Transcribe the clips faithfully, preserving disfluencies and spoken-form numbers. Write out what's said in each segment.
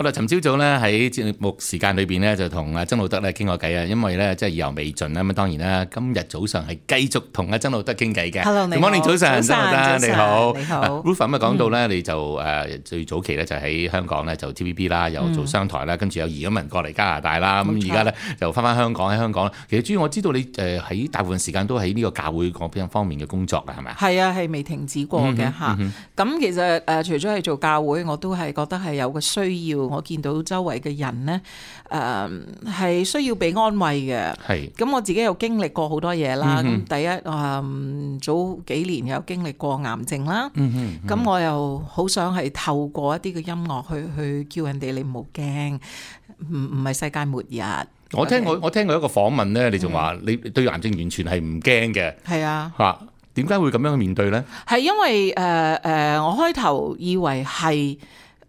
好啦，尋朝早咧喺節目時間裏邊咧就同阿曾路德咧傾過偈啊，因為咧即係意猶未盡啦。咁當然啦，今日早上係繼續同阿曾路德傾偈嘅。Hello， 你好。Good morning，早晨，曾路德你好。你好。Ruth 咁啊講到咧，你就誒最早期咧就喺香港咧就 T V B 啦，又做商台啦，跟住又移咗民過嚟加拿大啦。咁而家咧就翻翻香港喺香港。其實主要我知道你誒喺大部分時間都喺呢個教會嗰邊方面嘅工作啊，係咪啊？係啊，係未停止過嘅嚇。咁其實誒除咗係做教會，我都係覺得係有個需要。我見到周圍嘅人咧，誒係需要被安慰嘅。係。咁我自己又經歷過好多嘢啦。咁第一誒早幾年有經歷過癌症啦。咁我又好想係透過一啲嘅音樂去去叫人哋你唔好驚，唔唔係世界末日。我聽我我聽過一個訪問咧，你仲話你對癌症完全係唔驚嘅。係啊。嚇，點解會咁樣去面對咧？係因為誒誒、呃呃，我開頭以為係誒、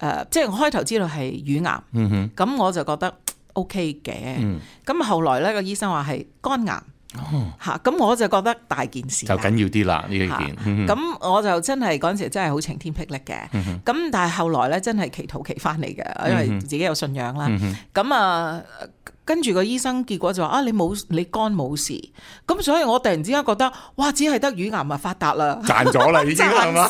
呃，即係我開頭知道係乳癌。嗯哼。咁我就覺得 OK 嘅。嗯。咁後來咧個醫生話係肝癌。哦。嚇，咁我就覺得大件事就緊要啲啦呢一件。咁、嗯、我就真係嗰陣時真係好晴天霹靂嘅。咁、嗯、但係後來咧真係祈禱祈翻嚟嘅，因為自己有信仰啦。咁、嗯、啊。跟住個醫生結果就話啊，你冇你肝冇事，咁所以我突然之間覺得哇，只係得乳癌咪發達啦，賺咗啦已經係嘛，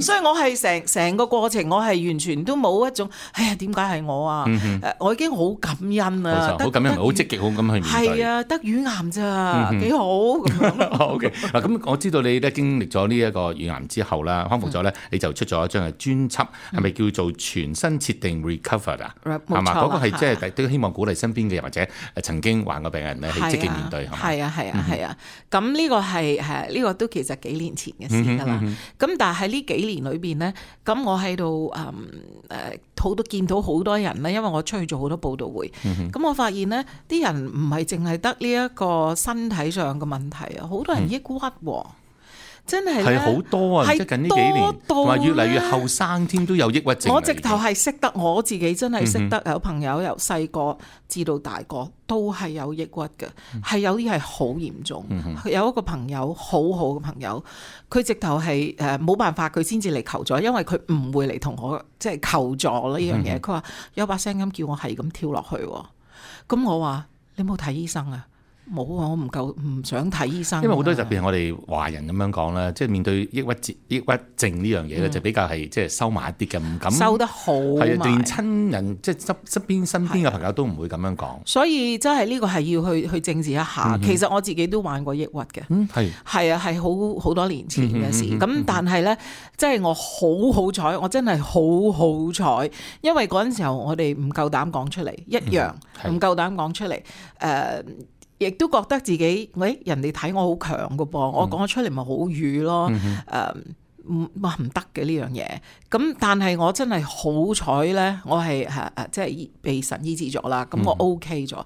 所以我係成成個過程我係完全都冇一種哎呀點解係我啊、嗯呃，我已經好感恩啊，好感恩，好積極，好咁去面對，係啊，得乳癌咋，幾、嗯、好咁樣。OK 嗱，咁我知道你咧經歷咗呢一個乳癌之後啦，康復咗咧，你就出咗一張嘅專輯，係、嗯、咪叫做全新設定 Recover 啊？係嘛，嗰、那個係即係都希望鼓勵身邊嘅或者曾經患過病人咧，係積極面對，係啊係啊係啊。咁呢、嗯、個係係呢個都其實幾年前嘅事㗎啦。咁、嗯嗯、但係喺呢幾年裏邊咧，咁我喺度誒誒好多見到好多人咧，因為我出去做好多報道會。咁、嗯、我發現咧，啲人唔係淨係得呢一個身體上嘅問題啊，好多人抑鬱喎。嗯真係係好多啊！即係近呢幾年，同埋越嚟越後生添，都有抑鬱症。我直頭係識得我自己，真係識得有朋友由細個至到大個都係有抑鬱嘅，係、嗯、有啲係好嚴重、嗯。有一個朋友好好嘅朋友，佢直頭係誒冇辦法，佢先至嚟求助，因為佢唔會嚟同我即係求助呢樣嘢。佢話有把聲音叫我係咁跳落去，咁我話你冇睇醫生啊？冇啊！我唔夠唔想睇醫生。因為好多特別係我哋華人咁樣講啦，即係面對抑鬱症、抑鬱症呢樣嘢咧，就比較係即係收埋一啲嘅，唔敢收得好埋。係啊，連親人即係側側邊身邊嘅朋友都唔會咁樣講。所以真係呢個係要去去正視一下、嗯。其實我自己都患過抑鬱嘅。嗯，係係啊，係好好多年前嘅事。咁、嗯、但係咧，即係我好好彩，我真係好好彩，因為嗰陣時候我哋唔夠膽講出嚟，一樣唔夠膽講出嚟。誒、呃。亦都覺得自己，喂，人哋睇我好強㗎噃、嗯，我講咗出嚟咪好語咯，誒唔話唔得嘅呢樣嘢。咁但係我真係好彩咧，我係誒誒即係被神醫治咗啦，咁我 OK 咗。咁、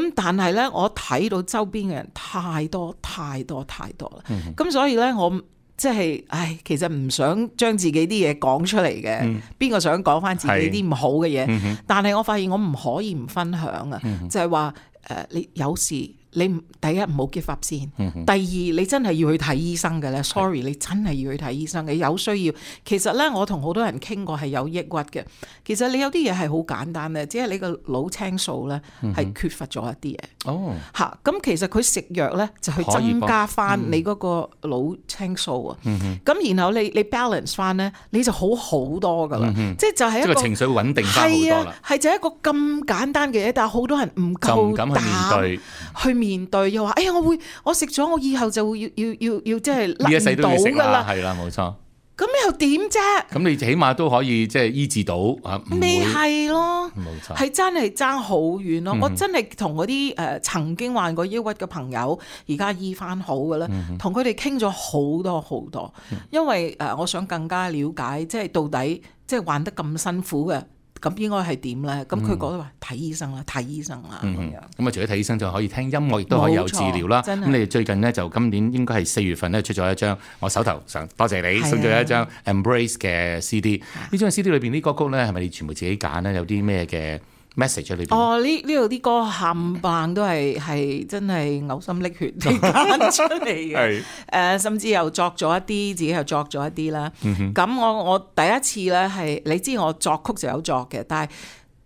嗯、但係咧，我睇到周邊嘅人太多太多太多啦，咁、嗯、所以咧我即係唉，其實唔想將自己啲嘢講出嚟嘅，邊、嗯、個想講翻自己啲唔好嘅嘢、嗯？但係我發現我唔可以唔分享啊、嗯，就係話。誒、呃，你有事，你第一唔好 give up 先、嗯，第二你真係要去睇醫生嘅咧。Sorry，你真係要去睇醫生嘅，有需要。其實咧，我同好多人傾過係有抑鬱嘅。其實你有啲嘢係好簡單嘅，只係你個腦青素咧係缺乏咗一啲嘢。哦，嚇，咁其實佢食藥咧就去增加翻你嗰個腦青素啊。咁、嗯、然後你你 balance 翻咧，你就好好多噶啦、嗯。即係就係一個情緒會穩定翻好多啦。係就係一個咁簡單嘅嘢，但係好多人唔夠膽去面對，去面對又話：哎呀，我會我食咗，我以後就會要要要要即係甩唔到㗎啦。係啦，冇錯。咁又點啫？咁你起碼都可以即係醫治到啊？未係咯，冇錯，係真係爭好遠咯、嗯。我真係同嗰啲誒曾經患過抑鬱嘅朋友，而家醫翻好嘅咧，同佢哋傾咗好多好多，嗯、因為誒我想更加了解，即係到底即係患得咁辛苦嘅。咁應該係點咧？咁佢講話睇醫生啦，睇醫生啦咁樣。咁、嗯、啊，除咗睇醫生，就可以聽音樂，亦都可以有治療啦。咁你哋最近呢，就今年應該係四月份咧出咗一張，我手頭上多謝你送咗一張 Embrace 嘅 C D。呢張 C D 裏邊啲歌曲咧，係咪你全部自己揀咧？有啲咩嘅 message 喺裏邊。哦，呢呢度啲歌冚唪唥都係係真係嘔心瀝血地揀出嚟嘅。係誒、呃，甚至又作咗一啲，自己又作咗一啲啦。咁、嗯、我我第一次咧係，你知我作曲就有作嘅，但係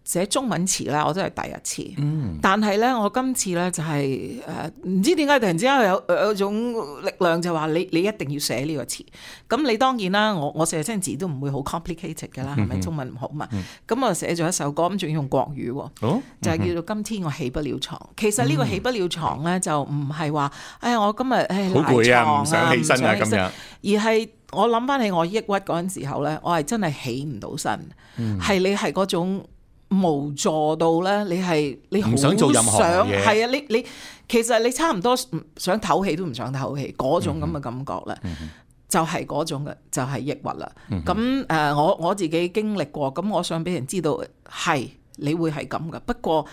寫中文詞咧我都係第一次。嗯、但係咧我今次咧就係誒唔知點解突然之間有有種力量就話你你一定要寫呢個詞。咁你當然啦，我我寫親字都唔會好 complicated 㗎啦，係咪、嗯、中文唔好嘛？咁、嗯、我寫咗一首歌，咁仲要用國語喎，哦、就係叫做今天我起不了床。其實呢個起不了床咧就唔係話哎呀我今日誒好攰啊，唔想起身啊咁樣，而係我諗翻起我抑鬱嗰陣時候咧，我係真係起唔到身，係、嗯、你係嗰種無助到咧，你係你好想做任何嘢，係啊，你你其實你差唔多想唞氣都唔想唞氣嗰種咁嘅感覺咧。嗯嗯就係嗰種嘅，就係、是、抑鬱啦。咁誒、嗯呃，我我自己經歷過，咁我想俾人知道係你會係咁嘅，不過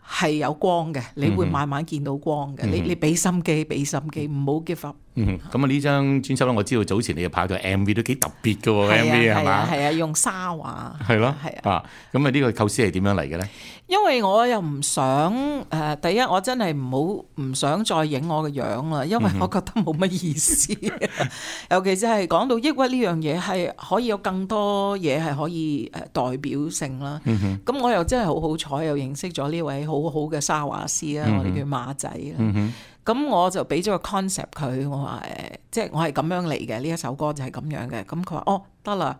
係有光嘅，你會慢慢見到光嘅、嗯。你你俾心機，俾心機，唔好 give up。嗯，咁啊呢張專輯咧，我知道早前你又拍咗 M V 都幾特別嘅喎 ，M V 係嘛？係啊，用沙畫。係咯，係啊。啊，咁啊呢個構思係點樣嚟嘅咧？因為我又唔想誒、呃，第一我真係唔好唔想再影我嘅樣啦，因為我覺得冇乜意思。嗯、尤其是係講到抑鬱呢樣嘢，係可以有更多嘢係可以誒代表性啦。咁、嗯、我又真係好好彩，又認識咗呢位好好嘅沙畫師啦，嗯、我哋叫馬仔啦。嗯咁我就俾咗個 concept 佢，我話誒，即係我係咁樣嚟嘅，呢一首歌就係咁樣嘅。咁佢話哦，得啦。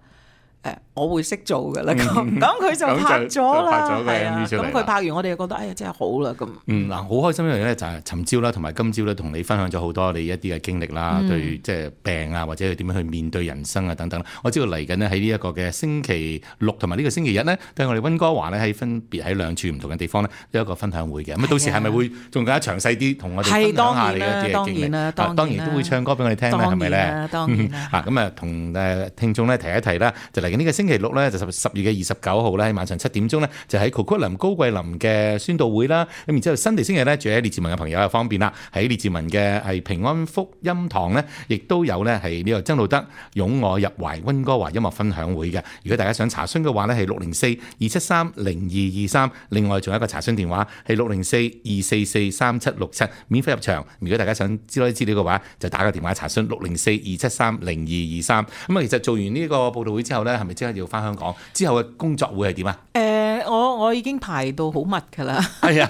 誒，我會識做㗎啦，咁咁佢就拍咗啦，係啊，咁佢拍完我哋就覺得，哎呀，真係好啦，咁。嗯，嗱，好開心一樣嘢咧，就係尋朝啦，同埋今朝咧，同你分享咗好多你一啲嘅經歷啦，嗯、對即係病啊，或者係點樣去面對人生啊等等。我知道嚟緊呢，喺呢一個嘅星期六同埋呢個星期日呢，都係我哋溫哥華咧喺分別喺兩處唔同嘅地方呢，有一個分享會嘅。咁到時係咪會仲更加詳細啲同我哋分享下你一啲嘅經歷？啊、當然都會唱歌俾我哋聽啦，係咪咧？當然啦。啊，咁啊，同誒聽眾咧提一提啦，就嚟緊呢個星期六咧。十十月嘅二十九號咧，喺晚上七點鐘咧，就喺 Coquitlam 高貴林嘅宣道會啦。咁然之後，新地星期咧，住喺列治文嘅朋友又方便啦。喺列治文嘅係平安福音堂咧，亦都有咧係呢個曾路德擁我入懷溫哥華音樂分享會嘅。如果大家想查詢嘅話咧，係六零四二七三零二二三。另外仲有一個查詢電話係六零四二四四三七六七，免費入場。如果大家想知多啲資料嘅話，就打個電話查詢六零四二七三零二二三。咁啊，其實做完呢個報道會之後咧，係咪即刻要翻香港？之後嘅工作會係點啊？誒、呃，我我已經排到好密㗎啦。係啊，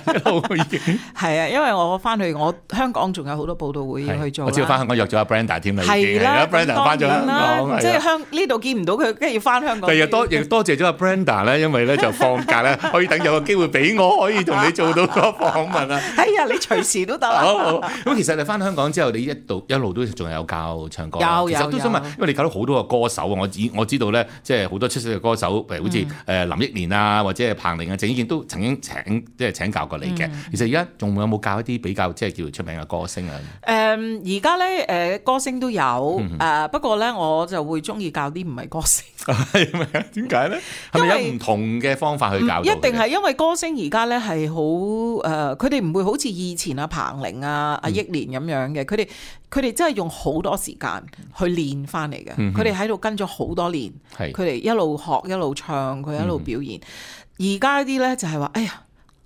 已經係啊，因為我翻去我香港仲有好多報道會要去做。我知道翻香港約咗阿 Brenda 添啦，已經係啦。Brenda 翻咗香港，即係香呢度見唔到佢，跟住要翻香港。第日多亦多謝咗阿 Brenda 咧，因為咧就放假咧，可以等有個機會俾我可以同你做到個訪問啊。哎呀，你隨時都得啦。咁其實你翻香港之後，你一度一路都仲有教唱歌。有有有。其實都想問，因為你教到好多個歌手啊，我知我知道咧，即係好多出色嘅歌手。譬如好似誒林憶蓮啊，或者係彭羚啊、鄭伊健都曾經請即係請教過你嘅。嗯、其實而家仲有冇教一啲比較即係叫出名嘅歌星啊？誒而家咧誒歌星都有誒，嗯呃、不過咧我就會中意教啲唔係歌星。係咪啊？點解咧？係咪有唔同嘅方法去教？一定係因為歌星而家咧係好誒，佢哋唔會好似以前啊彭羚啊、阿憶蓮咁樣嘅，佢哋佢哋真係用好多時間去練翻嚟嘅。佢哋喺度跟咗好多年，佢哋一路學一路唱，佢一路表演。而家啲咧就係話，哎呀，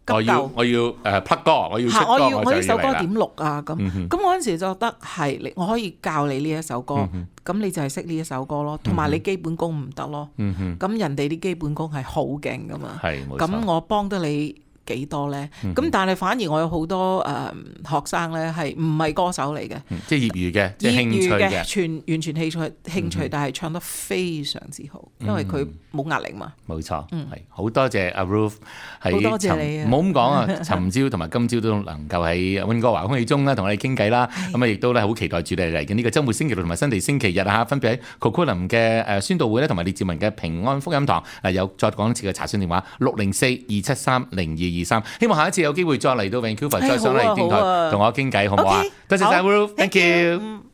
我要我要誒 plug 歌，我要出歌，我要我呢首歌點錄啊？咁咁我嗰陣時就覺得係，你我可以教你呢一首歌，咁、嗯、哼你就係識呢一首歌咯，同埋你基本功唔得咯。咁、嗯、哼人哋啲基本功係好勁噶嘛，咁我幫得你幾多咧？咁、嗯、但係反而我有好多誒、呃、學生咧係唔係歌手嚟嘅、嗯，即係業餘嘅，即係興趣嘅，全完全興趣興趣，嗯、但係唱得非常之好，因為佢冇壓力嘛。冇錯，係好多謝阿 Ruth，好多謝你啊！唔好咁講啊，尋朝同埋今朝都能夠喺溫哥華空氣中咧同我哋傾偈啦。咁啊，亦都咧好期待住你嚟緊呢個週末星期六同埋新地星期日啊，分別喺 Coquitlam 嘅誒宣道會咧，同埋列治文嘅平安福音堂啊，有再講一次嘅查詢電話六零四二七三零二二三。希望下一次有機會再嚟到 Vancouver，再上嚟電台同我傾偈，好唔好啊？多謝晒 Ruth，thank you。